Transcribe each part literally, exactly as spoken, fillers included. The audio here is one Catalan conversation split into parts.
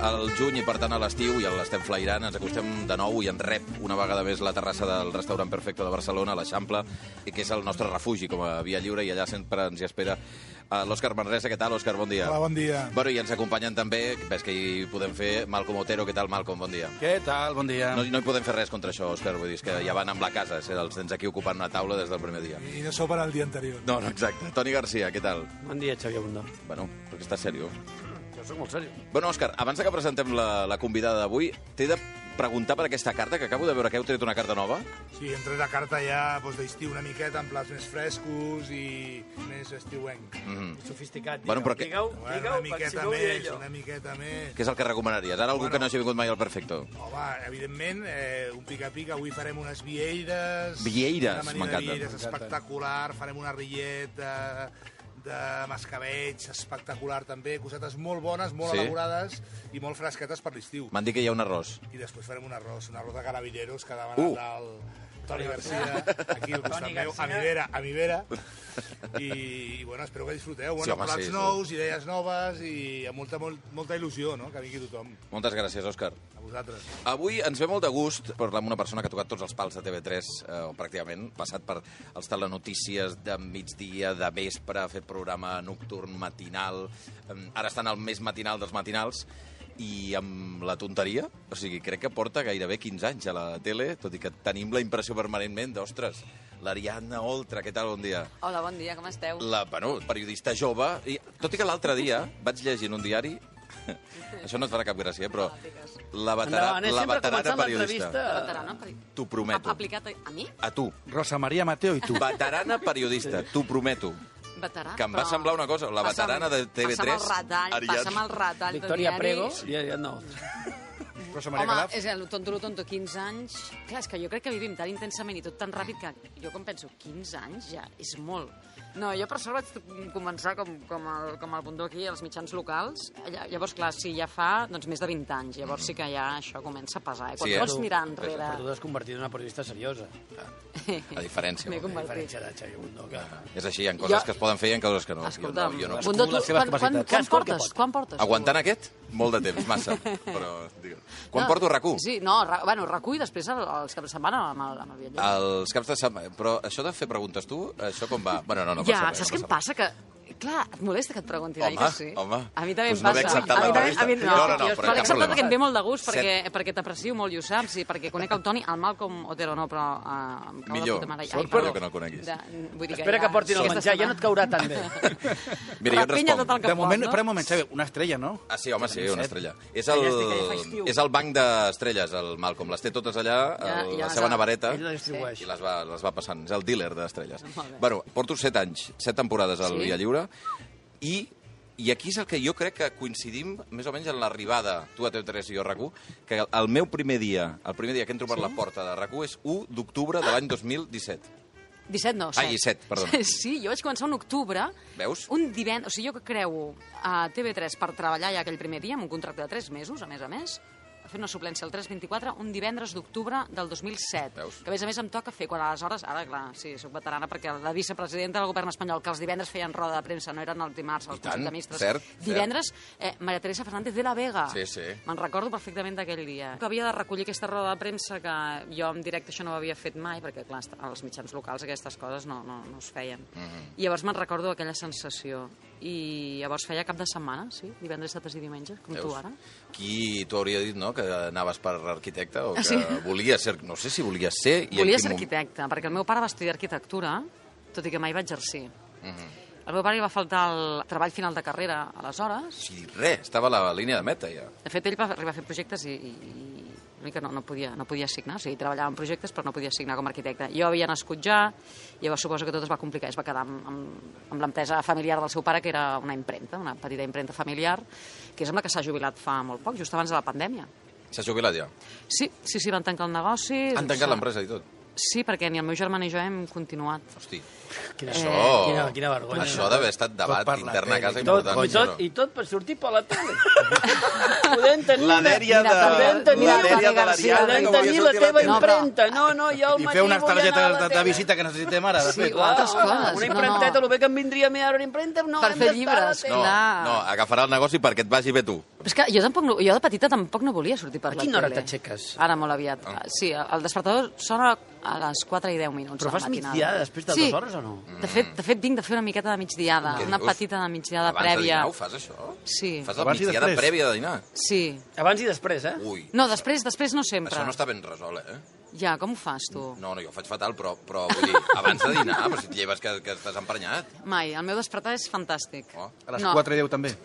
al juny i, per tant, a l'estiu, i l'estem flairant. Ens acostem de nou i ens rep una vegada més la terrassa del restaurant Perfecto de Barcelona, l'Eixample, que és el nostre refugi com a via lliure, i allà sempre ens hi espera l'Òscar Manresa. Què tal, Òscar? Bon dia. Hola, bon dia. Bueno, i ens acompanyen també, ves que hi podem fer, Malcom Otero. Què tal, Malcom? Bon dia. Què tal? Bon dia. No, no hi podem fer res contra això, Òscar, vull dir, és que ja van amb la casa, els tens aquí ocupant una taula des del primer dia. I no sopen el dia anterior. No, no, exacte. Toni Garcia, què tal? Bon dia, Xavier Bundó. Bueno, perquè estàs seriós. Jo soc molt seriós. Bueno, Òscar, abans que presentem la, la convidada d'avui, t'he de preguntar per aquesta carta, que acabo de veure que heu tret una carta nova. Sí, hem tret la carta ja doncs, d'estiu una miqueta, amb plats més frescos i més estiuenc. Mm-hmm. Sofisticat. Bueno, però que... Digueu, Bueno, digueu, una miqueta si no ho diré més, jo. una miqueta més. Què és el que recomanaries? Ara algú Bueno. que no hagi vingut mai al Perfecto. Home, evidentment, eh, un pica-pica, avui farem unes vieides. Vieides, una manera de m'encanta. vieides espectacular, farem una rillet de, de mascavells, espectacular també, cosetes molt bones, molt Sí? elaborades i molt fresquetes per l'estiu. M'han dit que hi ha un arròs. I després farem un arròs, un arròs de carabineros que ha demanat Uh. el Toni Garcia, aquí al costat Toni meu, a Garcia. mi vera, a mi vera. I, i bueno, espero que disfruteu. Bueno, Sí, home, plats sí, sí. nous, idees noves i amb molta, molt, molta il·lusió, no?, que vingui tothom. Moltes gràcies, Òscar. A vosaltres. Avui ens ve molt de gust parlar amb una persona que ha tocat tots els pals de T V tres, eh, o pràcticament, passat per els telenotícies de migdia, de vespre, ha fet programa nocturn, matinal, eh, ara està en el més matinal dels matinals, i amb la tonteria, o sigui, crec que porta gairebé quinze anys a la tele, tot i que tenim la impressió permanentment d'ostres, l'Ariadna Oltra, què tal, bon dia? Hola, bon dia, com esteu? La, bueno, periodista jove, i tot i que l'altre dia vaig llegir en un diari, això no et farà cap gràcia, eh, però la, vetera, Endavant, eh? la Sempre veterana començant periodista. l'entrevista. Veterana, per... T'ho prometo. A- Aplicat a, a mi? A tu. Rosa Maria Mateo i tu. Veterana periodista, t'ho prometo. Veterà, Que em va però- semblar una cosa, la veterana de T V tres, Passa'm el retall, Ariadna. passa'm el retall Victoria de Prego diaris. i Ariadna no. Rosa Maria Home, Calaf. és el tonto, tonto, quinze anys. Clar, és que jo crec que vivim tan intensament i tot tan ràpid que jo com penso, quinze anys ja és molt. No, jo per sort vaig començar com, com, el, com el Bundó aquí, als mitjans locals. Lla- Llavors, clar, sí, ja fa doncs, més de vint anys. Llavors sí que ja això comença a pesar. Eh? Quan Sí, sí, eh? vols mirar Però tu enrere... t'has convertit en una periodista seriosa. A diferència. M'he vol dir. A convertit. diferència de Xavier Bundó. Que... És així, hi ha coses Jo- que es poden fer i hi ha coses que no. Escolta'm, jo no, jo no. Bundó, tu, les seves quan, quan, capacitats. quan, Cadascú el que portes? pot. Quan portes? tu? Aguantant aquest? Molt de temps, massa. Però, digue'm. Quan No, porto RAC u? Sí, no, ra, bueno, RAC u i després el, els caps de setmana amb el, amb el viatge. Els caps de setmana. Però això de fer preguntes tu, això com va? Bueno, no, no ja, passa res. saps què no em passa? Que, clar, et molesta que et preguntin, oi Home, que sí? home. A mi també Doncs em no passa. m'he acceptat a mi també, l'entrevista. a mi, no, No, no, no, jo però l'he cap acceptat problema. perquè em ve molt de gust, perquè, Set. perquè t'aprecio molt i ho saps, i perquè conec el Toni, el Malcom Otero no, però uh, em cau Millor. de puta mare. Sort perdó. per que no el coneguis. De, vull dir Espera que portin el aquesta menjar, ja no et caurà tan bé. Mira, jo et Rapenya tot el responc. que De moment, pot, no? espera un moment, Xavier, una estrella, no? Ah, sí, home, sí, una estrella. És Ja el, estic, ja fa estiu. és el banc d'estrelles, el Malcom. Les té totes allà, Ja- el, ja la les seva ha- nevareta, Ell la distribueix. i les va, les va passant. És el dealer d'estrelles. Molt bé. Bueno, porto set anys, set temporades al Sí? Via Lliure, i i aquí és el que jo crec que coincidim més o menys en l'arribada, tu a T V tres i jo a RAC u, que el, el meu primer dia, el primer dia que entro per la porta de RAC u és u d'octubre de l'any dos mil disset. disset no, set. Ai, set, perdó. Sí, jo vaig començar un octubre, Veus? un divendres, o sigui, jo que creu a T V tres per treballar ja aquell primer dia, amb un contracte de tres mesos, a més a més, fer una suplència al tres vint-i-quatre, un divendres d'octubre del dos mil set. Veus? Que a més a més em toca fer, quan aleshores, ara clar, sí, soc veterana, perquè la vicepresidenta del govern espanyol, que els divendres feien roda de premsa, no eren els dimarts, els I tant, Consell de Ministres. cert, cert. Divendres, eh, Maria Teresa Fernández de la Vega. Sí, sí. Me'n recordo perfectament d'aquell dia. Que havia de recollir aquesta roda de premsa que jo en directe això no ho havia fet mai, perquè clar, als mitjans locals aquestes coses no, no, no es feien. Mhm. I llavors me'n recordo aquella sensació. I llavors feia cap de setmana, sí, divendres, dissabtes i diumenges, com Veus? tu ara. Qui t'ho hauria dit, no?, que anaves per arquitecte o que Ah, sí? volies ser... No sé si volies ser... i en Volia quin ser moment. arquitecte, perquè el meu pare va estudiar arquitectura, tot i que mai va exercir. Mhm. Al meu pare li va faltar el treball final de carrera, aleshores. O sigui, res, estava a la línia de meta, ja. De fet, ell va arribar a fer projectes i, i, i una mica no, no, podia, no podia signar, o sigui, treballava en projectes però no podia signar com a arquitecte. Jo havia nascut ja, llavors suposo que tot es va complicar, es va quedar amb, amb, amb l'empresa familiar del seu pare, que era una impremta, una petita impremta familiar, que és amb la que s'ha jubilat fa molt poc, just abans de la pandèmia. S'ha jubilat ja. Sí, sí, sí, van tancar el negoci. Han tancat l'empresa i tot. Sí, perquè ni el meu germà ni jo hem continuat. Hosti, Quina, això... Eh, quina, quina vergonya. Això d'haver estat debat Tot per la intern a tele. casa I tot, important. i, tot, I tot per sortir per la tele. Podem tenir... La dèria de... Podem tenir, La dèria de Garcia, l'Ariadna podem que volia tenir la sortir a teva tele. No, però- impremta. No, no, jo al I matí fer unes vull anar a targetes la de, de tele. visita que necessitem ara, de Sí, fet. o altres coses. Una No, impremteta, no. el bé que em vindria a mi ara una impremta, no, Per hem fer d'estar a la llibres, tele. No, Clar. no, agafarà el negoci perquè et vagi bé tu. Però és que jo, tampoc no, jo de petita tampoc no volia sortir per A la quina hora tele. t'aixeques? Ara molt aviat. Sí, el despertador sona a les quatre i deu minuts. Però de la fas matinada. migdiada després de sí. dues hores o no? De fet, de fet, vinc de fer una miqueta de migdiada, Què una dius? petita de migdiada Abans prèvia. de dinar ho fas, això? Sí. Fas la Abans i migdiada després? prèvia de dinar? Sí. Abans i després, eh? Ui, No, després després no sempre. això no està ben resolt, eh? Ja, com ho fas, tu? No, no, jo ho faig fatal, però, però vull dir, abans de dinar, però si et lleves que, que estàs emprenyat. Mai, el meu despertar és fantàstic. Oh. A les No. quatre i deu també.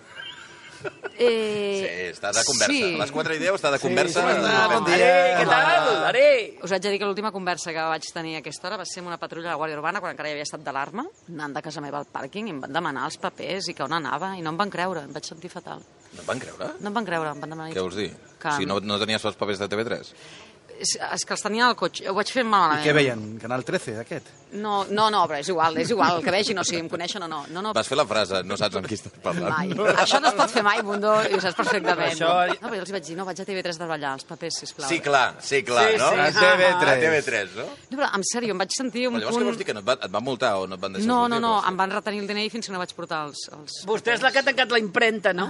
Eh... Sí, està de conversa. Sí. A les quatre i deu està de conversa. Sí, sí, Eh, bon dia. Què tal? Are! Us haig de dir que l'última conversa que vaig tenir a aquesta hora va ser amb una patrulla de la Guàrdia Urbana quan encara hi havia estat d'alarma, anant de casa meva al pàrquing i em van demanar els papers i que on anava i no em van creure, em vaig sentir fatal. No et van creure? No em van creure, em van demanar... Què vols dir? Que... O sigui, no, no tenies els papers de T V tres? És, és que els tenia al cotxe, ho vaig fer malament. I què veien? Canal trece, aquest? No, no, no, però és igual, és igual, el que vegin, o sigui, em coneixen o no. no, no Vas fer la frase, no saps amb qui estàs parlant. mai. Això no es pot fer mai, Bundó, i ho saps perfectament. Això... No, però jo els vaig dir, no, vaig a T V tres de ballar, els papers, sisplau. Sí, clar, sí, clar, Sí, no? sí. A T V tres. A T V tres, no? No, però, en sèrio, em vaig sentir un Però llavors punt... què vols dir, que no et, va, et van multar o no et van deixar No, sortir? no, no, Però- em van retenir el D N I fins que no vaig portar els... els Vostè és la que ha tancat la impremta, no?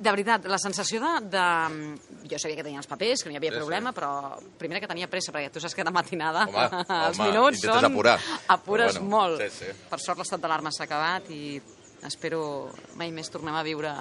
De veritat, la sensació de, de... Jo sabia que tenia els papers, que no hi havia Sí, sí. problema, però primera que tenia pressa, perquè tu saps que de matinada Home, els home, minuts intentes són... apurar. Apures Però bueno, molt. sí, sí. Per sort l'estat d'alarma s'ha acabat i espero mai més tornem a viure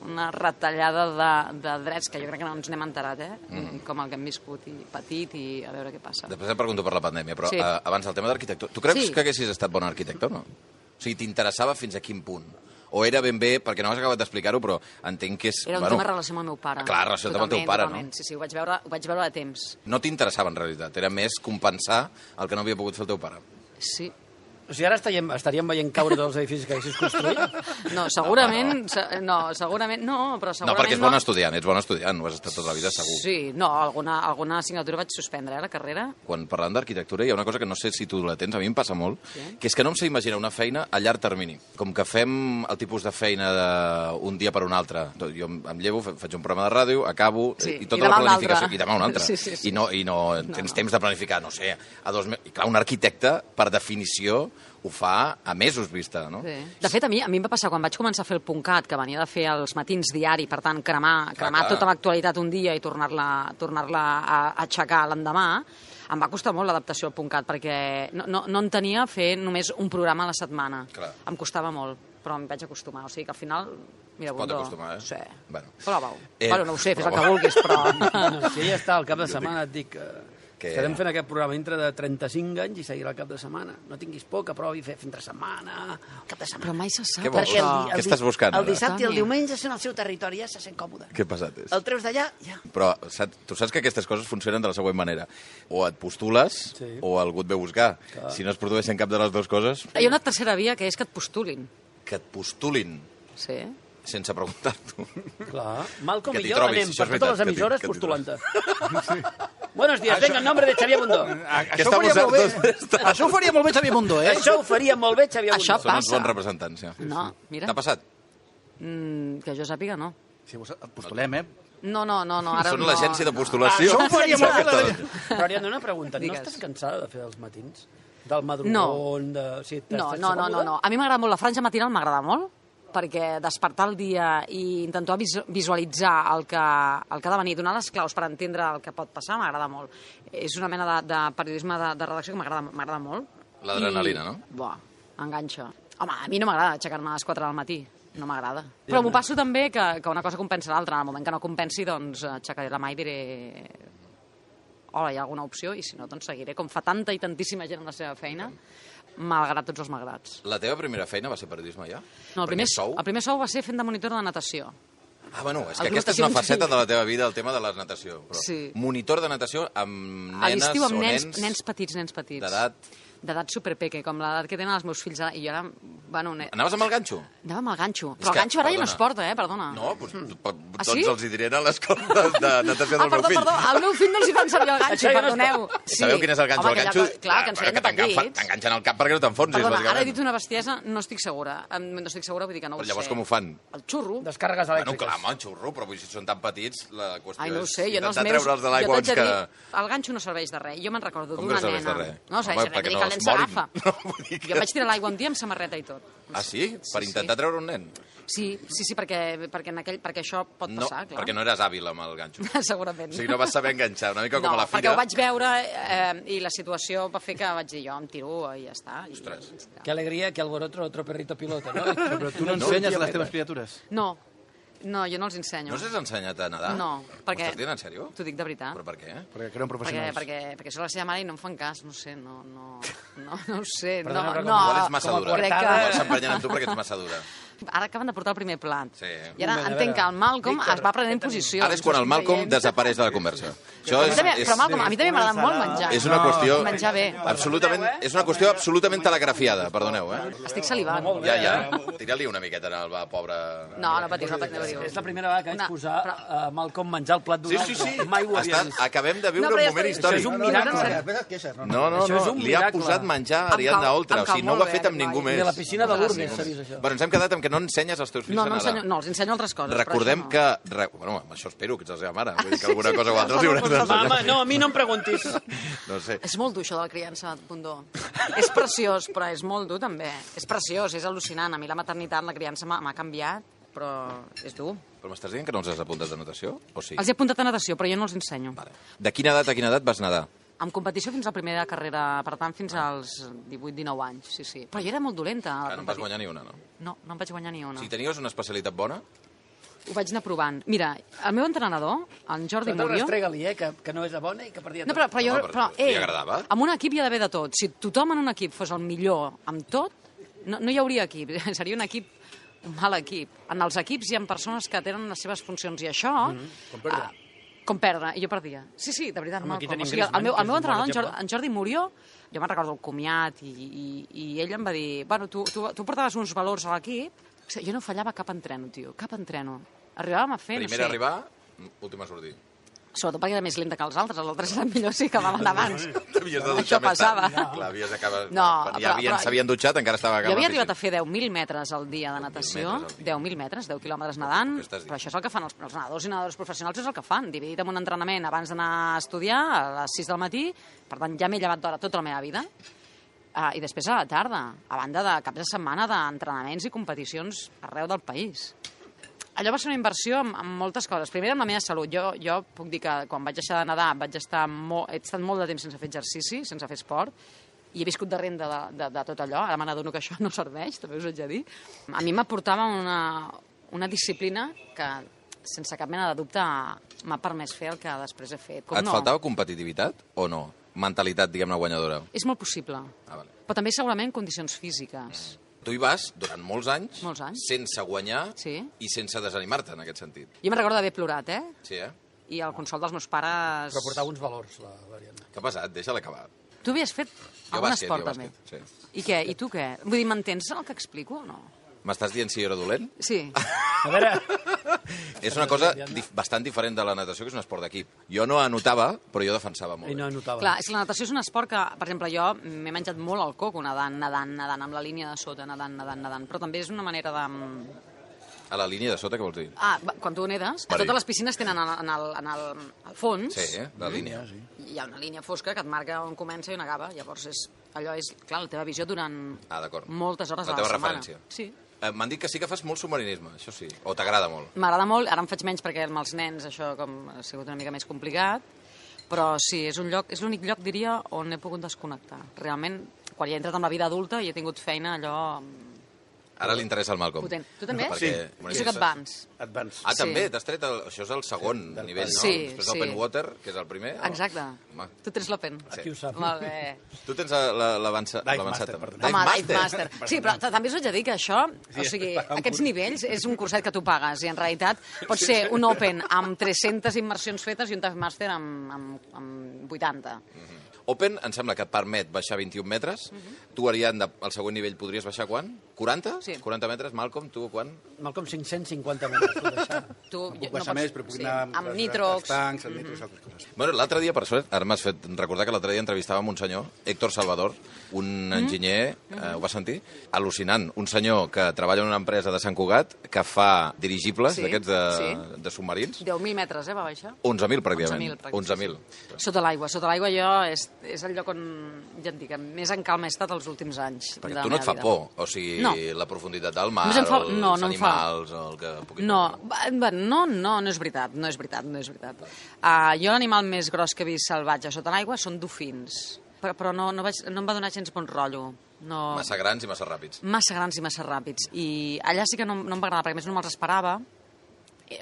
una retallada de, de drets que jo crec que no ens n'hem enterat, eh? Mm. Com el que hem viscut i patit i a veure què passa. Després et pregunto per la pandèmia, però Sí. sí. uh, abans el tema d'arquitectura. Tu creus Sí. que haguessis estat bon arquitecte o no? O sigui, t'interessava fins a quin punt? O era ben bé, perquè no has acabat d'explicar-ho, però entenc que és... Era un bueno, tema de relació amb el meu pare. clar, relació amb el teu Totalment, pare, totalment. no? Sí, sí, ho vaig veure, ho vaig veure a temps. No t'interessava, en realitat. Era més compensar el que no havia pogut fer el teu pare. Sí. O sigui, ara estaríem, estaríem veient caure tots els edificis que haguessis construït? No, segurament... se- No, segurament no, però No, segurament perquè ets bon estudiant, ets bon estudiant, ho has estat tota la vida, segur. Sí, no, alguna, alguna assignatura vaig suspendre, eh, la carrera. Quan parlant d'arquitectura hi ha una cosa que no sé si tu la tens, a mi em passa molt, sí. que és que no em sé imaginar una feina a llarg termini. Com que fem el tipus de feina d'un dia per un altre. Jo em em llevo, fa- faig un programa de ràdio, acabo, Sí, i tota i demà la un planificació... altre. I demà un altre. Sí, sí, sí. I no, i no, no tens temps de planificar, no sé, a dos mesos. I clar, un arquitecte, per definició, ho fa a mesos vista, no? Sí. De fet, a mi, a mi em va passar quan vaig començar a fer el PUNCAT, que venia de fer els matins diari, per tant, cremar, cremar clar. tota l'actualitat un dia i tornar-la tornar-la a aixecar l'endemà, em va costar molt l'adaptació al PUNCAT, perquè no, no, no entenia fer només un programa a la setmana. Clar. Em costava molt, però em vaig acostumar. O sigui que al final... Mira, Es pot Bundó, acostumar, eh? Sí. Bueno. Prova-ho. Eh, bueno, no ho sé, fes el que prova-ho. vulguis, però... Si ella està al cap de setmana, et dic que... Que- Estarem fent aquest programa dintre de trenta-cinc anys i seguirà al cap de setmana. No tinguis por, que provi fer entre setmana, cap de setmana. Però mai se sap, Què vols? Perquè el, això. di- Què el, estàs di- buscant, el ara? dissabte i el Toni. diumenge sent al seu territori, ja se sent còmode. Que pesat és. El treus d'allà, ja. Però saps, tu saps que aquestes coses funcionen de la següent manera. O et postules, Sí. o algú et ve a buscar. Si no es produeixen cap de les dues coses, Hi ha una tercera via, que és que et postulin. que et postulin Sí. sense preguntar-t'ho. Clar. Malcom Que i t'hi jo trobis, anem això és per totes les veritat, que t'hi- emissores que t'hi postulant-te. Buenos días, venga, en nombre de Xavier Bundó. Això està ho faria molt bé. posat- Això ho faria molt bé Xavier Mundo, eh? Això ho faria molt bé Xavier Això Bundó. Són uns Passa. bons representants, ja. No, mira. T'ha passat? Mm, que jo sàpiga, no. Si vos postulem, eh? No, no, no, no ara Són no. l'agència de no. postulació. Això ho faria molt bé, la- Però Ariadna, una pregunta. No Digues. estàs cansada de fer els matins? Del madrugón, No. de... Sí, t'estàs No, no, no, no, còmoda? no. A mi m'agrada molt la franja matinal, m'agrada molt, perquè despertar el dia i intentar vis visualitzar el que, el que ha de venir, donar les claus per entendre el que pot passar, m'agrada molt. És una mena de, de periodisme de, de redacció que m'agrada m'agrada molt. L'adrenalina, I- no? Buah, enganxa. Home, a mi no m'agrada aixecar-me a les quatre del matí. No m'agrada. Però m'ho passo també que, que una cosa compensa l'altra. En el moment que no compensi, doncs aixecaré la mà i diré... Hola, hi ha alguna opció? I si no, doncs seguiré. Com fa tanta i tantíssima gent en la seva feina, malgrat tots els malgrats. La teva primera feina va ser periodisme, ja? No, el primer, Perquè sou... el primer sou va ser fent de monitor de natació. Ah, bueno, és El que aquesta és natació una en faceta sí. de la teva vida, el tema de la natació. Però Sí. Monitor de natació amb A nenes l'estiu amb o nens, nens, nens petits, nens petits. d'edat... D'edat superpeque, com l'edat que tenen els meus fills ara. I jo era... Bueno, ne... Anaves amb el ganxo? Anava amb el ganxo. És Però el que, ganxo ara ja no perdona. es porta, eh? Perdona. No, doncs, mm. Ah, tots sí? els hi diré a l'escola de, de natació Ah, del meu perdó, fill. perdó, al meu fill no els hi fan servir el ganxo, Això ja no es perdoneu. Sí. Sabeu quin és el ganxo? Home, el ganxo... aquella co- Clar, que ens bueno, feien de t'enganfa- petits. T'enganxen al cap perquè no t'enfonsis, Perdona, ara he bàsicament. dit una bestiesa, no estic segura. Em- No estic segura, vull dir que no ho Però llavors sé. com ho fan? El xurro. Descàrregues Bueno, elèctriques. Va, home, un xurro, però vull dir, si són tan petits, la qüestió Ai, no ho és sé, jo en els intentar meus... treure'ls de jo l'aigua t'haig de que... dir, el ganxo no serveix de res. Jo me'n recordo Com que d'una no serveix nena... de res? No, serveix Home, de res, perquè vull dir no que el es nen morin. s'agafa. No, vull dir que- Jo vaig tirar l'aigua un dia amb samarreta i tot. Ah, sí? Per Sí, intentar sí. treure un nen? Sí, sí, sí, perquè, perquè, en aquell, perquè això pot No, passar, clar. perquè no eres hàbil amb el ganxo. Segurament. O sigui, no vas saber enganxar, una mica com no, a la perquè fira. ho vaig veure eh, i la situació va fer que vaig dir jo em tiro i ja està. I, Ostres. Qué alegría, que alboroto otro perrito piloto, ¿no? Però tu no ensenyes a les teves criatures? No, no, jo no els ensenyo. No s'has ensenyat a nedar? No, perquè... M'ho estàs dient en sèrio? T'ho dic de veritat. Però per què? Perquè creuen Perquè, professionals. perquè, perquè soc la seva mare i no em fan cas, no sé, no, no, no, no ho sé, Perdona, no, però com no, Igual ets massa com a dura. crec coartada. Igual que... s'empenyen amb tu perquè ets massa dura. Ara acaben de portar el primer plat. Sí. I ara Un moment, a entenc veure. que el Malcolm Víctor, es va prenent què tenim? posició. Ara és quan el Malcolm desapareix de la conversa. Això A mi és, també, és, però Malcolm, a mi també m'agrada molt menjar. és una qüestió... Menjar bé. Absolutament, és una qüestió absolutament telegrafiada, perdoneu, eh? Estic salivant. Ja, ja. Tira-li una miqueta al va, pobre... No, no patis, no patis. És la primera vegada que vaig Una- posar però- a Malcolm menjar el plat d'un Sí, altre. sí, sí. Mai ho havia Està, vist. acabem de viure No, però un ja moment està- històric. això és un No, no, miracle. no, Després et queixes, no? No, no, Això és no, un li ha miracle. posat menjar a Em Ariadna cau- Oltra, em o sigui, cau no ho molt ha fet bé, amb ningú noi. més. De la piscina de Lourdes s'ha vist això. Bueno, ens hem quedat amb que no ensenyes als teus fills No, a no, nedar. ensenyo, no, els ensenyo altres coses. Recordem però que... Re, bueno, amb això espero, que ets la seva mare. Vull dir que alguna cosa o altra els hi hauràs Va, d'ensenyar. home, no, a mi no em preguntis. No sé. És molt dur, això de la criança, Bundó. És preciós, però és molt dur, també. És preciós, és al·lucinant. A mi la maternitat, la criança m'ha m'ha canviat, però és dur. Però m'estàs dient que no els has apuntat de natació? O sí? Els he apuntat a natació, però jo no els ensenyo. Vale. De quina edat a quina edat vas nedar? En competició fins a la primera carrera, per tant, fins als divuit dinou anys, sí, sí. Però jo era molt dolenta. a la Ah, no en vas competi- guanyar ni una, no? No, no en vaig guanyar ni una. Si tenies una especialitat bona, Ho vaig anar provant. Mira, el meu entrenador, en Jordi Però Murillo... restrega-li, eh, que, que no és la bona i que perdia No, tot. però, però, jo, Home, però però, li eh, agradava? en un equip hi ha d'haver de tot. Si tothom en un equip fos el millor amb tot, no, no hi hauria equip. Seria un equip, un mal equip. En els equips hi ha persones que tenen les seves funcions i això... Mm -hmm. Com perdre. Uh, com perdre, i jo perdia. Sí, sí, de veritat, Home, aquí Malcolm. tenim O sigui, el, Griezmann, meu, que el és meu un bon entrenador, en, exemple. Jordi, en Jordi Murillo, jo me'n recordo el comiat, i, i, i ell em va dir, bueno, tu, tu, tu portaves uns valors a l'equip. O sigui, jo no fallava cap entreno, tio, cap entreno. Arribàvem a fer, primer no sé... a arribar, últim a sortir. Sobretot perquè era més lenta que els altres, els altres eren millors i acabaven abans. T'havies de Això dutxar més tard. passava. Clar, havies acabat... No, Quan ja però- havien, però- s'havien dutxat, encara estava Jo havia arribat a fer deu mil metres al dia de natació, metres al dia. deu mil metres, deu quilòmetres nedant, Què estàs dient? però això és el que fan els, els nedadors i nedadores professionals, és el que fan, dividit en un entrenament abans d'anar a estudiar a les sis del matí, per tant ja m'he llevat d'hora tota la meva vida, uh, i després a la tarda, a banda de caps de setmana d'entrenaments i competicions arreu del país. Allò va ser una inversió en, en moltes coses. Primer, amb la meva salut. Jo, jo puc dir que quan vaig deixar de nedar vaig estar molt, he estat molt de temps sense fer exercici, sense fer esport, i he viscut de renda de, de, de tot allò. Ara me n'adono que això no serveix, també us haig de dir. A mi m'aportava una, una disciplina que, sense cap mena de dubte, m'ha permès fer el que després he fet. Com Et no? faltava competitivitat o no? Mentalitat, diguem-ne, guanyadora. És molt possible. Ah, vale. Però també segurament condicions físiques. Tu hi vas durant molts anys, Molts anys. sense guanyar Sí. i sense desanimar-te, en aquest sentit. Jo me'n recordo d'haver plorat, eh? Sí, eh? I el consol dels meus pares... Però portava uns valors, la Ariadna. Què ha passat? Deixa-la acabar. Tu havies fet Jo algun bàsquet, esport, jo també? bàsquet, sí. I què? I tu què? Vull dir, m'entens el que explico o no? M'estàs dient si jo era dolent? Sí. A veure, És una cosa dif bastant diferent de la natació, que és un esport d'equip. Jo no anotava, però jo defensava molt i no bé. anotava. Clar, és que la natació és un esport que, per exemple, jo m'he menjat molt el coco nedant, nedant, nedant, amb la línia de sota, nedant, nedant, nedant, però també és una manera de... A la línia de sota, què vols dir? Ah, va, quan tu nedes, Per totes dir. les piscines tenen en el, en el, en el, al fons, Sí, eh? La línia. hi ha una línia fosca que et marca on comença i on acaba, llavors és, allò és, clar, la teva visió durant Ah, d'acord. moltes hores La a la teva setmana. referència. Sí. Eh, M'han dit que sí que fas molt submarinisme, això sí. O t'agrada molt. M'agrada molt, ara en faig menys perquè amb els nens això com ha sigut una mica més complicat, però sí, és un lloc, és l'únic lloc, diria, on he pogut desconnectar. Realment, quan hi he entrat en la vida adulta i he tingut feina, allò... Ara li interessa el Malcolm. Potent. Tu també? Perquè, Sí. bueno, Jo soc és- advance. Advance. Ah, Sí. també? T'has tret el... Això és el segon del nivell, no? Sí, Després sí. l'Open Water, que és el primer. o- Exacte. Home, Tu tens l'Open. Aquí ho sap. Molt bé. tu tens la- l'avançat. Dive l'avançat Master, també. perdona. Home, Dive Master. Sí, però ta- també us haig de dir que això, o sigui, pagar un aquests curs. nivells és un curset que tu pagues i en realitat pot ser un Open amb tres-centes immersions fetes i un Dive Master amb, amb, amb vuitanta. Open em sembla que et permet baixar vint-i-un metres. Tu, Ariadna, al següent nivell podries baixar quan? quaranta? Sí. quaranta metres. Malcolm, tu quan? Malcolm, cinc-cents cinquanta metres, puc deixar. Tu, Puc baixar més, però puc anar amb als- nitrox. als tancs, amb nitrox, altres coses. Bueno, l'altre dia, per sort, ara m'has fet recordar que l'altre dia entrevistàvem un senyor, Héctor Salvador, un enginyer, eh, ho vas sentir? Al·lucinant. Un senyor que treballa en una empresa de Sant Cugat que fa dirigibles Sí, d'aquests de, sí. de submarins. deu mil metres, eh, va baixar. onze mil, pràcticament. onze mil, pràcticament, onze mil. Sota l'aigua. Sota l'aigua jo és, és el lloc on, ja et dic, més en calma he estat els últims anys. Perquè de tu la no et fa meva vida. por, o sigui, No. la profunditat del mar, Només em fa- els no, no em fa. animals, el que pugui... No, va- va, no, no, no és veritat, no és veritat, no és veritat. Uh, jo l'animal més gros que he vist salvatge sota l'aigua són dofins, però, però no, no, vaig, no em va donar gens bon rotllo. No, Massa grans i massa ràpids. massa grans i massa ràpids. I allà sí que no, no em va agradar, perquè a més no me'ls esperava.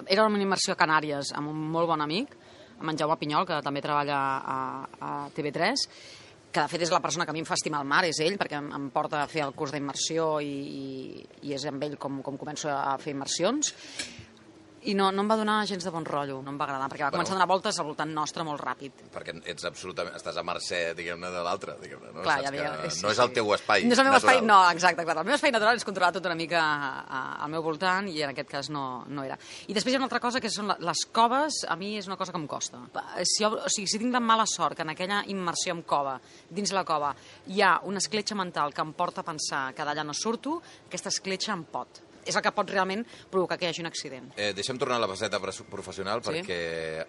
Era una immersió a Canàries amb un molt bon amic, amb en Jaume Pinyol, que també treballa a, a T V tres, que de fet és la persona que a mi em fa estimar el mar, és ell, perquè em, em porta a fer el curs d'immersió i, i, i és amb ell com, com començo a fer immersions. I no, no em va donar gens de bon rotllo, no em va agradar, perquè va Bueno. començar a donar voltes al voltant nostre molt ràpid. Perquè ets absolutament... Estàs a mercè, diguem-ne, de l'altre, diguem-ne, no? Clar, Saps ja veia, que sí, no és el sí. teu espai No és el meu espai, natural. no, exacte, clar. El meu espai natural és controlar tot una mica a, a, al meu voltant i en aquest cas no, no era. I després hi ha una altra cosa que són la- les coves, a mi és una cosa que em costa. Si, jo, o sigui, si tinc de mala sort que en aquella immersió en cova, dins la cova, hi ha una escletxa mental que em porta a pensar que d'allà no surto, aquesta escletxa em pot. És el que pot realment provocar que hi hagi un accident. Eh, deixa'm tornar a la faceta pres- professional Sí. perquè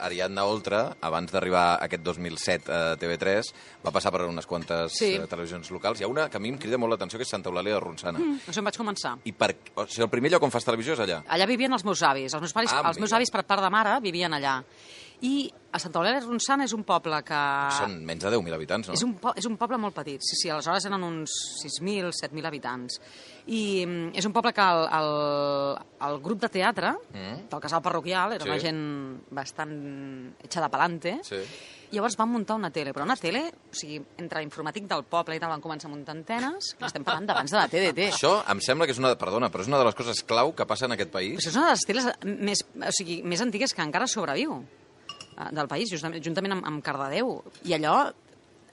Ariadna Oltra, abans d'arribar aquest dos mil set a T V tres, va passar per unes quantes Sí. eh, televisions locals. Hi ha una que a mi em crida molt l'atenció, que és Santa Eulàlia de Ronçana. Mm. Això em vaig començar. I per, o sigui, el primer lloc on fas televisió és allà. Allà vivien els meus avis. Els meus, pares, Ah, els meus mira. avis, per part de mare, vivien allà. I a Santa Eulàlia de Ronçana és un poble que... Són menys de deu mil habitants, no? És un, po és un poble molt petit, sí, sí, aleshores eren uns sis mil, set mil habitants. I mm, és un poble que el, el, el grup de teatre Mm. del casal parroquial era Sí. una gent bastant echada pa'lante. Sí. Llavors van muntar una tele, però una tele, o sigui, entre l'informàtic del poble i tal, van començar a muntar antenes, que estem parlant d'abans de la T D T. Això em sembla que és una... Perdona, però és una de les coses clau que passa en aquest país. Però és una de les teles més, o sigui, més antigues que encara sobreviu eh, del país, justament, juntament amb, amb Cardedeu. I allò,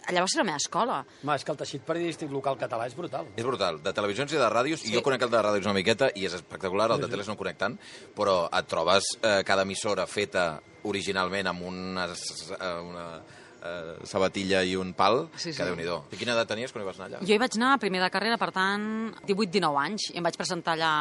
allà va ser la meva escola. Home, és que el teixit periodístic local català és brutal. És brutal, de televisions i de ràdios, Sí. i jo conec el de ràdios una miqueta, i és espectacular, el de teles no conec tant, però et trobes eh, cada emissora feta originalment amb una, eh, una eh, sabatilla i un pal, Sí, sí. que déu-n'hi-do. I quina edat tenies quan hi vas anar allà? Jo hi vaig anar a primer de carrera, per tant, divuit dinou anys, i em vaig presentar allà,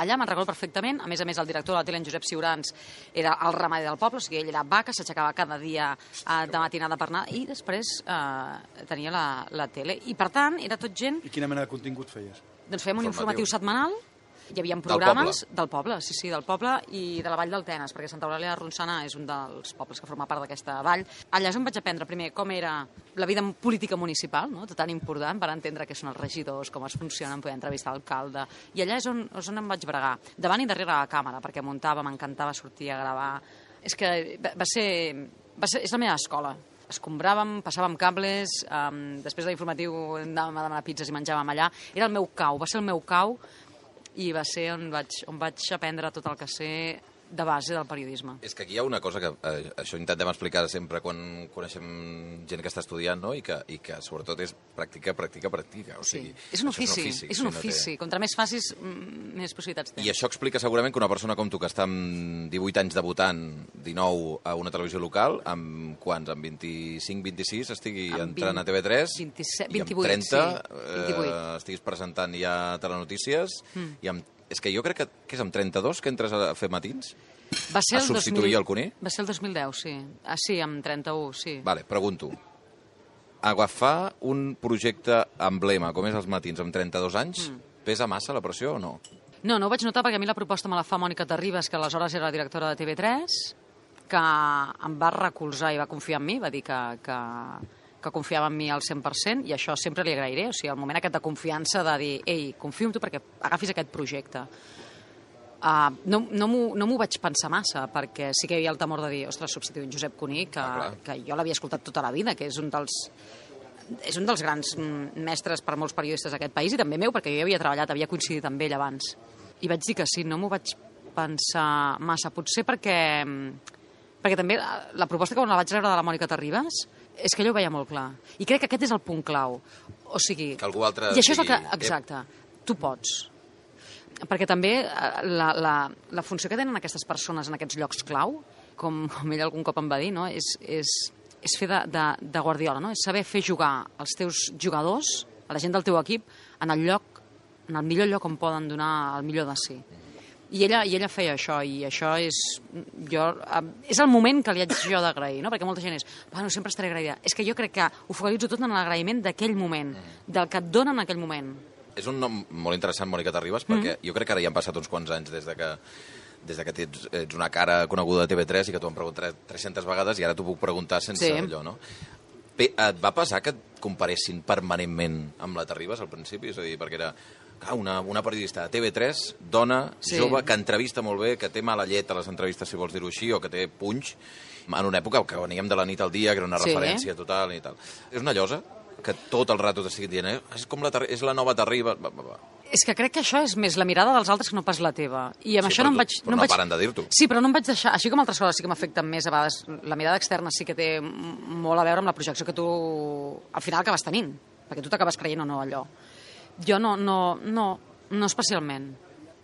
allà me'n recordo perfectament. A més a més, el director de la tele, en Josep Ciurans, era el ramader del poble, o sigui, ell era vaca, s'aixecava cada dia eh, de matinada per anar, i després eh, tenia la, la tele. I, per tant, era tot gent... I quina mena de contingut feies? Doncs fèiem un Informatiu. informatiu setmanal, hi havia programes del poble, sí, sí, del poble i de la vall del Tenes, perquè Santa Eulàlia de Ronçana és un dels pobles que forma part d'aquesta vall. Allà és on vaig aprendre primer com era la vida política municipal, no? Tan important per entendre què són els regidors, com es funcionen, poder entrevistar l'alcalde. I allà és on, és on em vaig bregar, davant i darrere la càmera, perquè muntava, m'encantava sortir a gravar. És que va va ser, va ser... És la meva escola. Escombràvem, passàvem cables, um, després de l'informatiu anàvem a demanar pizzas i menjàvem allà. Era el meu cau, va ser el meu cau, i va ser on vaig, on vaig aprendre tot el que sé de base del periodisme. És que aquí hi ha una cosa que eh, això intentem explicar sempre quan coneixem gent que està estudiant, no? I que, i que sobretot és pràctica, pràctica, pràctica. O Sí. sigui, És un això ofici, és un sí, no ofici. té- Contra més facis, mm, més possibilitats tens. I això explica segurament que una persona com tu, que està amb divuit anys debutant, dinou a una televisió local, amb quants? Amb vint-i-cinc, vint-i-sis estigui Amb entrant vint- a T V tres, vint-i-set, i amb vint-i-vuit, trenta sí, vint-i-vuit. eh, estiguis presentant ja telenotícies, Mm. i amb, és que jo crec que, que és amb trenta-dos que entres a fer matins? Va ser a el dos substituir mil el Cuní? Va ser el dos mil deu, sí. Ah, sí, amb trenta-u, sí. Vale, pregunto. Agafar un projecte emblema, com és els matins, amb trenta-dos anys, Mm. pesa massa la pressió o no? No, no ho vaig notar perquè a mi la proposta me la fa Mònica Terribas, que aleshores era la directora de T V tres, que em va recolzar i va confiar en mi, va dir que, que, que confiava en mi al cent per cent, i això sempre li agrairé. O sigui, el moment aquest de confiança de dir, ei, confio en tu perquè agafis aquest projecte. Uh, no no m'ho no m'ho vaig pensar massa, perquè sí que hi havia el temor de dir, ostres, substituir en Josep Cuní, que, Ah, clar. que jo l'havia escoltat tota la vida, que és un dels és un dels grans mm, mestres per molts periodistes d'aquest país, i també meu, perquè jo hi havia treballat, havia coincidit amb ell abans. I vaig dir que sí, no m'ho vaig pensar massa, potser perquè, perquè també la, la proposta que quan la vaig rebre de la Mònica Terribas És que ella ho veia molt clar. I crec que aquest és el punt clau. O sigui... Que algú altre I això és el que... digui, Exacte. Tu pots. Perquè també la, la, la funció que tenen aquestes persones en aquests llocs clau, com, com ell algun cop em va dir, no? és, és, és fer de, de, de guardiola, no? És saber fer jugar els teus jugadors, a la gent del teu equip, en el lloc, en el millor lloc on poden donar el millor de si. I ella, I ella feia això, i això és... Jo, és el moment que li haig jo d'agrair, no? Perquè molta gent és, bueno, sempre estaré agraïda. És que jo crec que ho focalitzo tot en l'agraïment d'aquell moment, del que et donen en aquell moment. És un nom molt interessant, Mònica Terribas, perquè mm. jo crec que ara ja han passat uns quants anys des de que des de que ets, ets una cara coneguda de T V tres i que t'ho han preguntat tres-centes vegades i ara t'ho puc preguntar sense sí. allò, no? Bé, et va passar que et comparessin permanentment amb la Terribas al principi? És a dir, perquè era clar, una, una periodista de T V tres, dona, sí. jove, que entrevista molt bé, que té mala llet a les entrevistes, si vols dir-ho així, o que té punx, en una època que veníem de la nit al dia, que era una sí. referència total i tal. És una llosa que tot el rato t'estiguin dient, eh? és, com la, és la nova Terribas... Va, va, va. És que crec que això és més la mirada dels altres que no pas la teva. I amb sí, això no em vaig... Però no, no vaig... paren de dir-t'ho. Sí, però no em vaig deixar... Així com altres coses sí que m'afecten més a vegades. La mirada externa sí que té molt a veure amb la projecció que tu al final acabes tenint. Perquè tu t'acabes creient o no allò. Jo no, no, no, no especialment.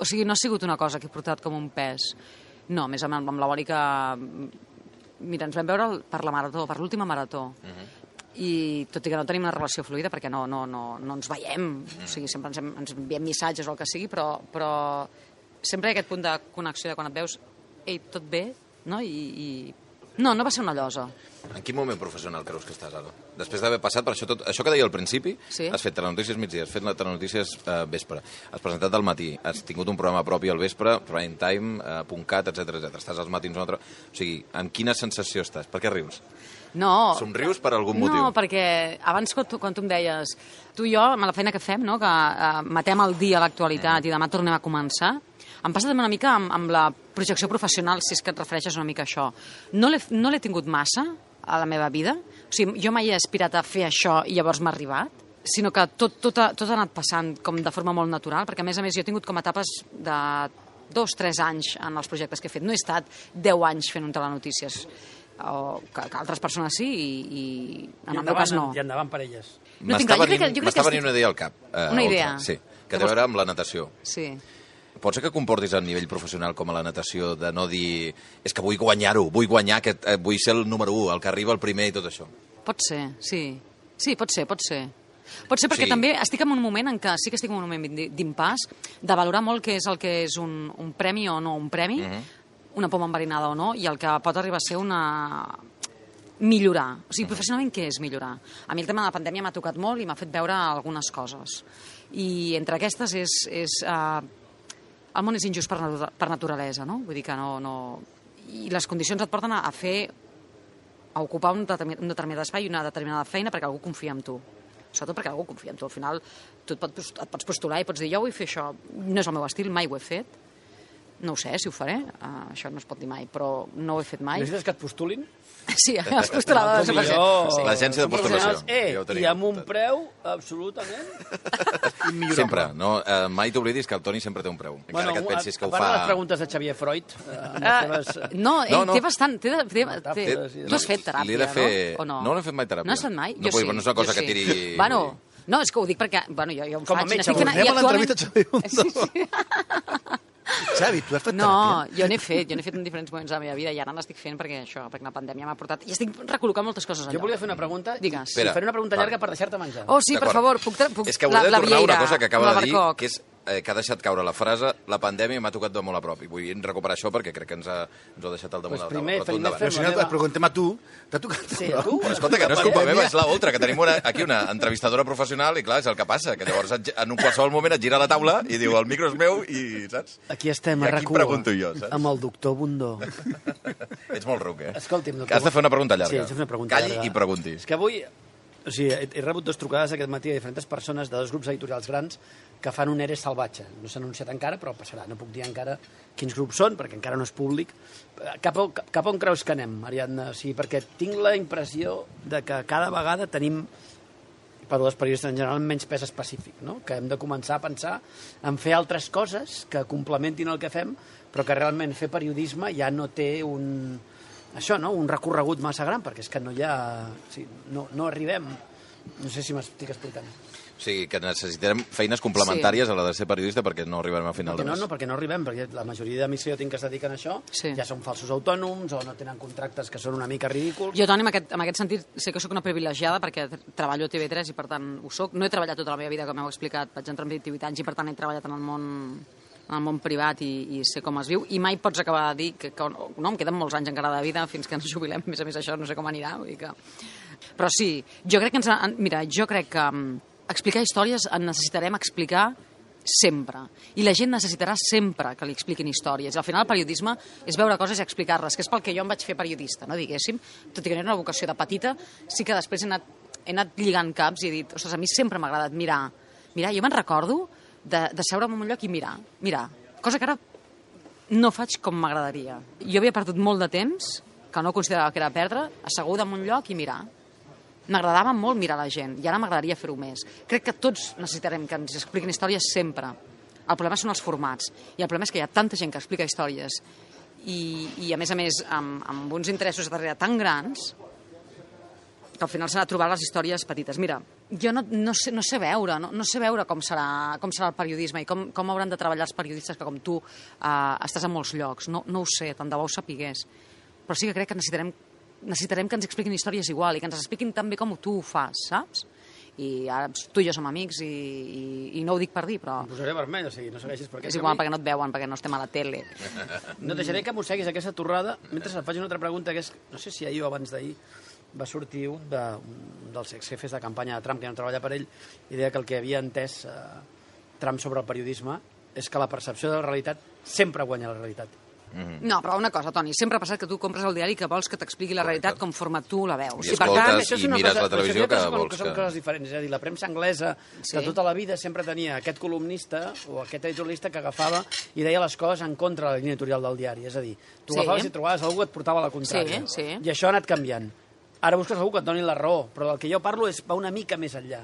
O sigui, no ha sigut una cosa que he portat com un pes. No, més amb, amb la Mònica... Mira, ens vam veure per la marató, per l'última marató. Uh -huh. I tot i que no tenim una relació fluida perquè no, no, no, no ens veiem, o sigui, sempre ens, ens enviem missatges o el que sigui, però, però sempre hi ha aquest punt de connexió de quan et veus, ei, tot bé, no? I, i... No, no va ser una llosa. En quin moment professional creus que estàs ara? Després d'haver passat per això tot, això que deia al principi, sí. has fet telenotícies migdia, has fet la telenotícies eh, vespre, has presentat al matí, has tingut un programa propi al vespre, prime time, eh, .cat, etcètera, etcètera. Estàs als matins un altre... O sigui, en quina sensació estàs? Per què rius? No. Somrius per algun motiu? No, perquè abans quan tu, quan tu em deies tu i jo, amb la feina que fem, no? que uh, matem el dia a l'actualitat mm. i demà tornem a començar, em passa també una mica amb, amb la projecció professional, si és que et refereixes una mica a això. No l'he no l'he tingut massa a la meva vida. O sigui, jo mai he aspirat a fer això i llavors m'ha arribat, sinó que tot, tot, ha, tot ha anat passant com de forma molt natural, perquè a més a més jo he tingut com etapes de dos, tres anys en els projectes que he fet. No he estat deu anys fent un telenotícies, o que, que altres persones sí, i, i en I el meu cas no. I endavant per elles. No M'està venint, m'està venint una idea al cap. Eh, una idea? Sí, que té a veure amb la natació. Sí. Pot ser que comportis a nivell professional com a la natació de no dir és que vull guanyar-ho, vull guanyar, que eh, vull ser el número u, el que arriba el primer i tot això. Pot ser, sí. Sí, pot ser, pot ser. Pot ser perquè sí. també estic en un moment en què sí que estic en un moment d'impàs, de valorar molt què és el que és un, un premi o no un premi, uh-huh. una poma enverinada o no, i el que pot arribar a ser una... millorar. O sigui, professionalment què és millorar? A mi el tema de la pandèmia m'ha tocat molt i m'ha fet veure algunes coses. I entre aquestes és... és uh, el món és injust per, natura, per naturalesa, no? Vull dir que no, no... I les condicions et porten a, a fer... a ocupar un determinat, un determinat espai i una determinada feina perquè algú confia en tu. Sobretot perquè algú confia en tu. Al final tu et, pot, et pots postular i pots dir jo vull fer això. No és el meu estil, mai ho he fet. No ho sé si ho faré, uh, això no es pot dir mai, però no ho he fet mai. Necessites que et postulin? Sí, has postulat. Com jo... Sí. L'agència de postulació. Eh, ja I amb un preu absolutament immillorable. Sempre, no? Uh, mai t'oblidis que el Toni sempre té un preu. Encara bueno, que et pensis que ho fa... fa... A part de les preguntes de Xavier Freud... Uh, uh, seves... No, ell no, no. té bastant... Té, té, té, té, sí, tu has fet teràpia, de fer... no? O no? No l'he fet mai teràpia. No has fet mai? No, Jo sí. No és una cosa jo que tiri... Sí. Bueno, no, és que ho dic perquè... Bueno, jo, jo ho Com a faig. metge, Fent, Tornem a l'entrevista a Xavi Bundó. Sí, sí. Xavi, tu has fet no, teràpia? jo n'he fet, jo n'he fet en diferents moments de la meva vida i ara n'estic fent perquè això, perquè la pandèmia m'ha portat... I estic recol·locant moltes coses allà. Jo volia fer una pregunta. Digues. Espera, faré una pregunta llarga per deixar-te menjar. Oh, sí, per favor, puc... puc és que hauré de la, tornar la una cosa que acaba de dir, Barcoc. que és eh, que ha deixat caure la frase la pandèmia m'ha tocat de molt a prop. I vull recuperar això perquè crec que ens ha, ens ho ha deixat al damunt Pues de la primer, taula. Però tu primer endavant. Però si no, et preguntem a tu, t'ha tocat... Sí, a tu? Però escolta, que no és culpa meva, és la Oltra, que tenim una, aquí una entrevistadora professional i clar, és el que passa, que llavors en un qualsevol moment et gira la taula i diu el micro és meu i, saps? Aquí estem, I a aquí RAC u, pregunto jo, saps? amb el doctor Bundó. Ets molt ruc, eh? Escolti'm, doctor... Que has de fer una pregunta llarga. Sí, haig de fer una pregunta Calli llarga. i pregunti. És que avui... O sigui, he, he rebut dues trucades aquest matí de diferents persones de dos grups editorials grans que fan un E R E salvatge. No s'ha anunciat encara, però passarà. No puc dir encara quins grups són, perquè encara no és públic. Cap, a, cap on creus que anem, Ariadna? O sigui, perquè tinc la impressió de que cada vegada tenim, per als periodistes en general, menys pes específic, no? Que hem de començar a pensar en fer altres coses que complementin el que fem, però que realment fer periodisme ja no té un... això, no? Un recorregut massa gran, perquè és que no hi ha... Sí, no, no arribem... No sé si m'estic explicant. O sigui, que necessitarem feines complementàries sí. a la de ser periodista perquè no arribarem a final perquè de no, mes. no, perquè no arribem, perquè la majoria d'amics que jo tinc que es dediquen a això Sí. ja són falsos autònoms o no tenen contractes que són una mica ridículs. Jo, Toni, en aquest, en aquest sentit, sé que sóc una privilegiada perquè treballo a T V tres i, per tant, ho soc. No he treballat tota la meva vida, com heu explicat. Vaig entrar amb vint-i-vuit anys i, per tant, he treballat en el món, en el món privat i, i sé com es viu. I mai pots acabar de dir que, que no, em queden molts anys encara de vida fins que ens jubilem. A més a més, això no sé com anirà. Vull dir que... Però sí, jo crec que ens... Ha, mira, jo crec que um, explicar històries en necessitarem explicar sempre. I la gent necessitarà sempre que li expliquin històries. I al final el periodisme és veure coses i explicar-les, que és pel que jo em vaig fer periodista, no diguéssim. Tot i que no era una vocació de petita, sí que després he anat, he anat lligant caps i he dit, ostres, a mi sempre m'ha agradat mirar. Mirar, jo me'n recordo de, de seure en un lloc i mirar, mirar. Cosa que ara no faig com m'agradaria. Jo havia perdut molt de temps, que no considerava que era perdre, asseguda en un lloc i mirar. M'agradava molt mirar la gent i ara m'agradaria fer-ho més. Crec que tots necessitarem que ens expliquin històries sempre. El problema són els formats i el problema és que hi ha tanta gent que explica històries i, i a més a més amb, amb uns interessos darrere tan grans que al final s'ha de trobar les històries petites. Mira, jo no, no, sé, no sé veure, no, no sé veure com serà, com serà el periodisme i com, com hauran de treballar els periodistes que com tu eh, estàs en molts llocs. No, no ho sé, tant de bo ho sapigués. Però sí que crec que necessitarem necessitarem que ens expliquin històries igual i que ens expliquin tan bé com tu ho fas, saps? I ara tu i jo som amics i, i, i no ho dic per dir, però... Em posaré vermell, o sigui, no segueixis per aquest és igual, camí. perquè no et veuen, perquè no estem a la tele. No deixaré que mosseguis aquesta torrada mentre et faig una altra pregunta, que és, no sé si ahir o abans d'ahir va sortir un, de, un dels exjefes de campanya de Trump, que no treballa per ell, i deia que el que havia entès eh, Trump sobre el periodisme és que la percepció de la realitat sempre guanya la realitat. Mm-hmm. No, però una cosa, Toni, sempre ha passat que tu compres el diari que vols que t'expliqui la realitat conforme tu la veus. I escoltes és i una mires cosa- la televisió però que són- vols són que... coses diferents. És a dir, la premsa anglesa, Sí. que tota la vida sempre tenia aquest columnista o aquest editorialista que agafava i deia les coses en contra de la línia editorial del diari. És a dir, tu Sí. agafaves i trobaves algú que et portava la contrària. Sí, sí. I això ha anat canviant. Ara busques algú que et doni la raó, però del que jo parlo és, va una mica més enllà,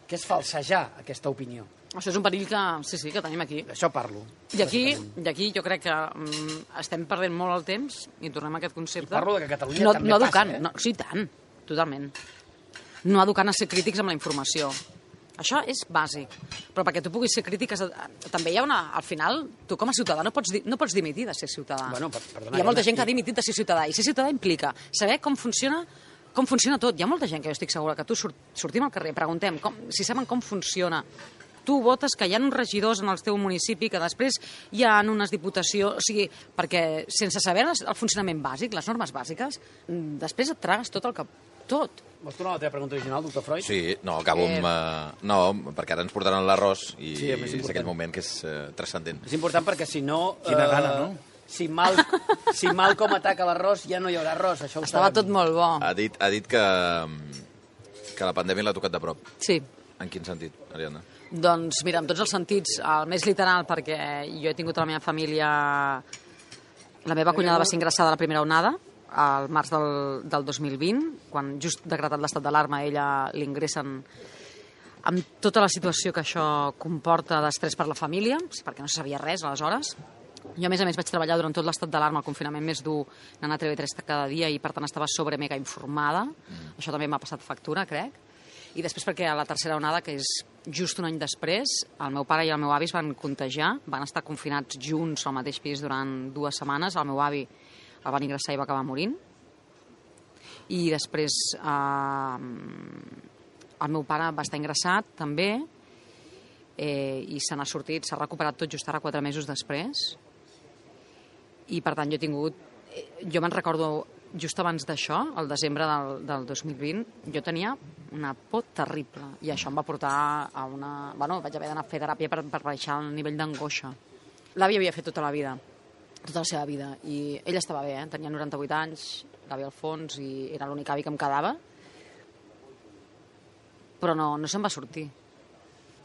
que és falsejar aquesta opinió. Això és un perill que, sí, sí, que tenim aquí. D'això parlo. I aquí, i aquí jo crec que um, estem perdent molt el temps i tornem a aquest concepte. I parlo de que a Catalunya no, també no passa, educant, eh? no, sí, tant, totalment. No educant a ser crítics amb la informació. Això és bàsic. Però perquè tu puguis ser crític, has de- també hi ha una... Al final, tu com a ciutadà no pots, di- no pots dimitir de ser ciutadà. Bueno, per- perdona, hi ha molta Elena, gent que ha i- dimitit de ser ciutadà, i ser ciutadà implica saber com funciona com funciona tot. Hi ha molta gent que jo estic segura que tu surt, sortim al carrer, preguntem com, si saben com funciona. Tu votes que hi ha uns regidors en el teu municipi, que després hi ha unes diputacions... O sigui, perquè sense saber les- el funcionament bàsic, les normes bàsiques, mm, després et tragues tot el que... Tot. Vols tornar a la teva pregunta original, doctor Freud? Sí, no, acabo amb... Eh... No, perquè ara ens portaran l'arròs i Sí, a més, és important. aquell moment que és eh, transcendent. És important perquè si no... Quina gana, no? Si mal, si mal com ataca l'arròs, ja no hi haurà arròs. Això ho Estava sabem. tot molt bo. Ha dit, ha dit que, que la pandèmia l'ha tocat de prop. Sí. En quin sentit, Ariadna? Doncs mira, en tots els sentits, el més literal, perquè jo he tingut a la meva família... La meva cunyada va ser ingressada a la primera onada, al març del, del dos mil vint, quan just decretat l'estat d'alarma ella l'ingressen amb tota la situació que això comporta d'estrès per la família, perquè no se sabia res aleshores. Jo, a més a més, vaig treballar durant tot l'estat d'alarma, el confinament més dur, anant a T V tres cada dia i, per tant, estava sobre mega informada. Mm. Això també m'ha passat factura, crec. I després perquè a la tercera onada, que és just un any després, el meu pare i el meu avi es van contagiar, van estar confinats junts al mateix pis durant dues setmanes. El meu avi el van ingressar i va acabar morint. I després eh, el meu pare va estar ingressat també eh, i se n'ha sortit, s'ha recuperat tot just ara quatre mesos després. I per tant jo he tingut... Jo me'n recordo just abans d'això, el desembre del, del dos mil vint, jo tenia una por terrible i això em va portar a una... Bueno, vaig haver d'anar a fer teràpia per, per baixar el nivell d'angoixa. L'avi havia fet tota la vida, tota la seva vida, i ell estava bé, eh? Tenia noranta-vuit anys, l'avi Alfons, i era l'únic avi que em quedava, però no, no se'n va sortir.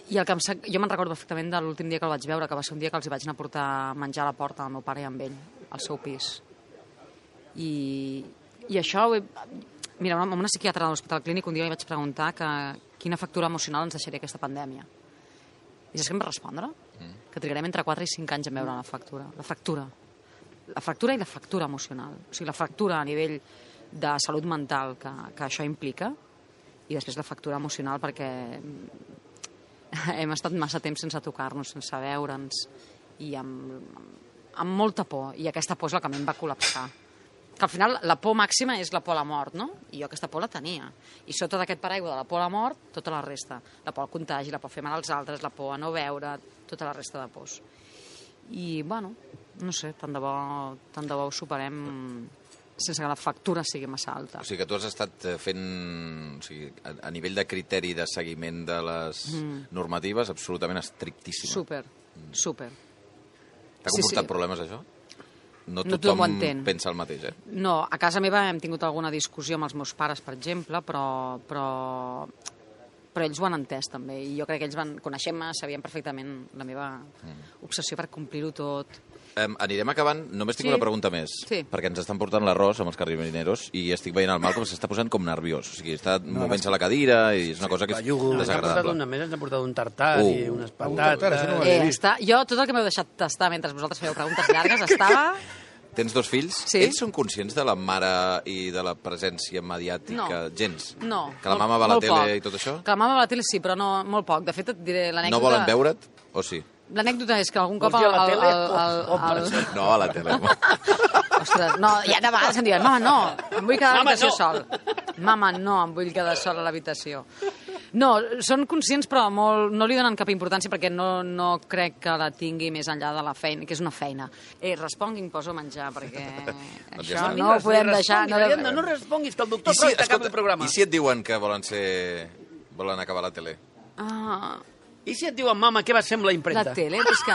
I el que em sa... jo me'n recordo perfectament de l'últim dia que el vaig veure, que va ser un dia que els hi vaig anar a portar menjar a la porta al meu pare i amb ell, al seu pis. I, i això ho he... Mira, amb una psiquiatra de l'Hospital Clínic un dia li vaig preguntar que quina factura emocional ens deixaria aquesta pandèmia. I saps què em va respondre? Mm. Que trigarem entre quatre i cinc anys en veure la factura. La fractura. la fractura i la fractura emocional. O sigui, la fractura a nivell de salut mental que, que això implica i després la fractura emocional perquè hem estat massa temps sense tocar-nos, sense veure'ns i amb, amb molta por. I aquesta por és la que a mi em va col·lapsar. Que al final la por màxima és la por a la mort, no? I jo aquesta por la tenia. I sota d'aquest paraigua de la por a la mort, tota la resta. La por al contagi, la por a fer mal als altres, la por a no veure, tota la resta de pors. I, bueno, no sé, tant de bo, tant de bo ho superem sense que la factura sigui massa alta. O sigui que tu has estat fent, o sigui, a, a nivell de criteri de seguiment de les mm. normatives, absolutament estrictíssima. Super, super. T'ha comportat sí, sí. problemes, això? No no tothom entén. pensa el mateix, eh? No, a casa meva hem tingut alguna discussió amb els meus pares, per exemple, però, però, però ells ho han entès també. I jo crec que ells van conèixer-me, sabien perfectament la meva mm. obsessió per complir-ho tot. Um, anirem acabant. Només tinc sí. una pregunta més, sí. perquè ens estan portant l'arròs amb els carrineros i estic veient el Malcolm s'està posant com nerviós. O sigui, està no, movent-se a la cadira i és una sí, cosa que és desagradable. Ens ha portat una més, ens ha portat un tartar uh. i unes patates. No eh, està, jo, tot el que m'heu deixat tastar mentre vosaltres fèieu preguntes llargues, estava... Tens dos fills? Sí. Ells són conscients de la mare i de la presència mediàtica? No. Gens? No. Que la molt, mama va a la tele poc. I tot això? Que la mama va a la tele sí, però no, molt poc. De fet, et diré l'anècdota... No volen veure't? O sí? L'anècdota és que algun cop... Vols dir a la tele? El, el, el, el... No, a la tele. Ostres, no, ja de vegades em diuen, mama, no, em vull quedar a l'habitació no. sol. Mama, no, em vull quedar sol a l'habitació. No, són conscients però molt, no li donen cap importància perquè no, no crec que la tingui més enllà de la feina, que és una feina. Eh, responguin, poso a menjar, perquè doncs això ja no ho podem deixar. No, no, no responguis, que el doctor si, Freud acaba el programa. I si et diuen que volen ser... volen acabar la tele? Ah... I si et diuen, mama, què va ser amb la impremta? La tele, és que...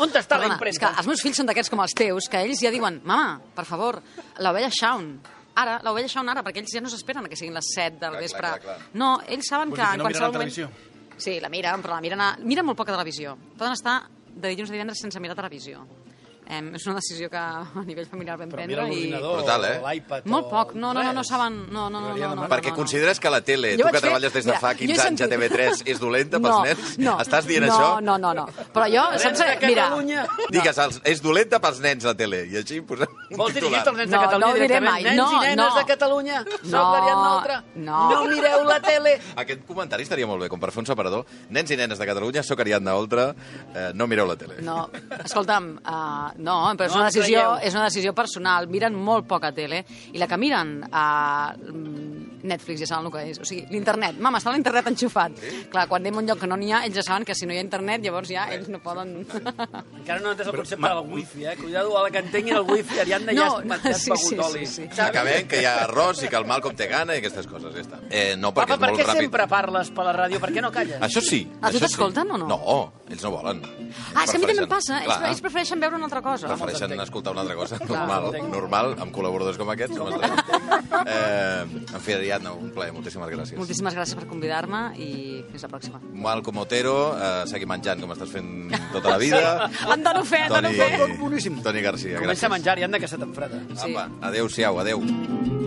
On està Perdona, la impremta? És que els meus fills són d'aquests com els teus, que ells ja diuen, mama, per favor, l'ovella Shaun, ara, l'ovella Shaun ara, perquè ells ja no s'esperen que siguin les set del clar, vespre. Clar, clar, clar. No, ells saben Vols que dir en que no qualsevol miren la moment... televisió? Sí, la miren, però la miren, a... miren molt poca televisió. Poden estar de dilluns a divendres sense mirar televisió. Eh, és una decisió que a nivell familiar vam prendre i... Brutal, eh? L'iPad molt poc, no, no, no, no saben... No, no, no, no, no, perquè no, no. consideres que la tele, Jo tu que vaig fer- treballes des de Mira, fa jo he quinze anys a sentit- T V tres, és dolenta pels No, nens? no. Estàs dient no, això? No, no, no. Però jo... Saps, de mira, Catalunya. Digues, els- és dolenta pels nens la tele, i així posem un Vols dirigir-te titular. als nens No, de Catalunya no ho diré directament? mai. Nens No, i nenes no. de Catalunya, soc No, l'Ariadna Oltra. no. No mireu la tele. Aquest comentari estaria molt bé, com per fer un separador. Nens i nenes de Catalunya, soc Ariadna Oltra, eh, no mireu la tele. No, escolta'm, uh, no, però és No una, em decisió, creieu. és una decisió personal. Miren molt poca tele i la que miren a Netflix ja saben el que és. O sigui, l'internet. Mama, està l'internet enxufat. Sí? Clar, quan anem a un lloc que no n'hi ha, ells ja saben que si no hi ha internet, llavors ja ells no poden... Encara no entès el concepte del wifi, eh? Cuidado a la que entenguin el wifi, Ariadna, No, ja has, ja has sí, begut sí, oli. sí, sí. Acabem, que hi ha arròs i que el Malcolm té gana i aquestes coses, ja està. Eh, no, perquè Papa, per és què molt ràpid. sempre parles per la ràdio? Per què no calles? Això sí. A tu això t'escolten sí. o no? No, ells no volen. Ah, és que a mi també em Prefereixen- passa. Ells, Clar. ells prefereixen veure una altra cosa. Prefereixen escoltar una altra cosa. Clar. Normal, normal, amb col·laboradors com aquests. Com estem. eh, en fi, Ariadna, un plaer. Moltíssimes gràcies. Moltíssimes gràcies per convidar-me i fins la pròxima. Malcom Otero, eh, segui menjant com estàs fent tota la vida. En dono fe, en dono Toni, fe. Toni Garcia, Comença gràcies. a menjar, Ariadna, que se t'enfreda. Sí. Apa, adéu-siau, adéu.